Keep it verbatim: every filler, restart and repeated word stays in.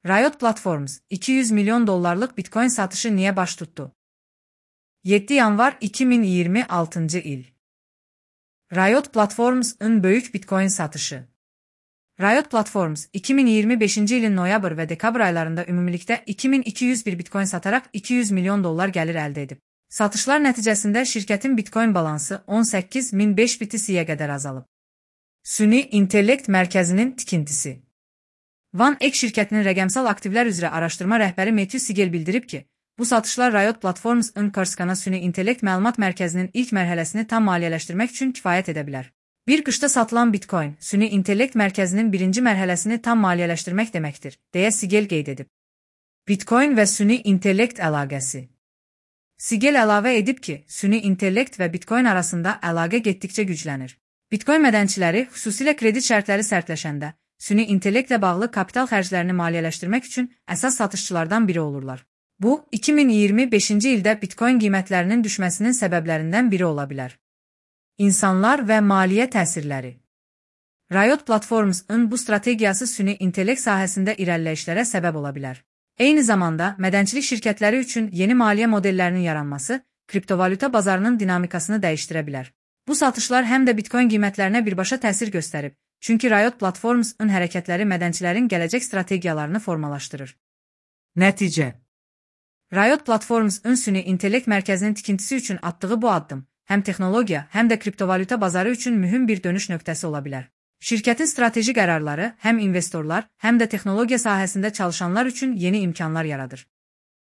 Riot Platforms, iki yüz milyon dollarlık Bitcoin satışı niye baş tuttu? yeddi yanvar iki min iyirmi altıncı il. Riot Platforms'ın büyük Bitcoin satışı. Riot Platforms, iki min iyirmi beşinci ilin noyabr ve dekabr aylarında ümumilikdə iki min iki yüz bir Bitcoin satarak iki yüz milyon dollar gəlir əldə edib. Satışlar nəticəsində şirkətin Bitcoin balansı on səkkiz min beş B T C-yə qədər azalıb. Süni İntellekt Mərkəzinin tikintisi. OneX şirkətinin rəqəmsal aktivlər üzrə araşdırma rəhbəri Matthew Siegel bildirib ki, bu satışlar Riot Platforms'ın Corsica Süni İntellekt Məlumat Mərkəzinin ilk mərhələsini tam maliyyələşdirmək üçün kifayət edə bilər. Bir qışda satılan Bitcoin, Süni İntellekt Mərkəzinin birinci mərhələsini tam maliyyələşdirmək deməkdir, deyə Siegel qeyd edib. Bitcoin və Süni İntellekt əlaqəsi. Siegel əlavə edib ki, Süni İntellekt və Bitcoin arasında əlaqə getdikcə güclənir. Bitcoin mədənçiləri, xüsusilə kredit şərtləri sərtləşəndə, Süni İntellektlə bağlı kapital xərclərini maliyyələşdirmək üçün əsas satışçılardan biri olurlar. Bu, iki min iyirmi beşinci ildə Bitcoin qiymətlərinin düşməsinin səbəblərindən biri ola bilər. İnsanlar və maliyyə təsirləri. Riot Platforms'ın bu strategiyası Süni İntellekt sahəsində irəliləyişlərə səbəb ola bilər. Eyni zamanda, mədənçilik şirkətləri üçün yeni maliyyə modellərinin yaranması, kriptovalyuta bazarının dinamikasını dəyişdirə bilər. Bu satışlar həm də Bitcoin qiymətlərinə birbaşa təsir göstərib, çünki Riot Platforms'ın hərəkətləri mədənçilərin gələcək strategiyalarını formalaşdırır. Nəticə. Riot Platforms'ın Süni İntellekt Mərkəzinin tikintisi üçün atdığı bu addım, həm texnologiya, həm də kriptovalyuta bazarı üçün mühüm bir dönüş nöqtəsi ola bilər. Şirkətin strateji qərarları həm investorlar, həm də texnologiya sahəsində çalışanlar üçün yeni imkanlar yaradır.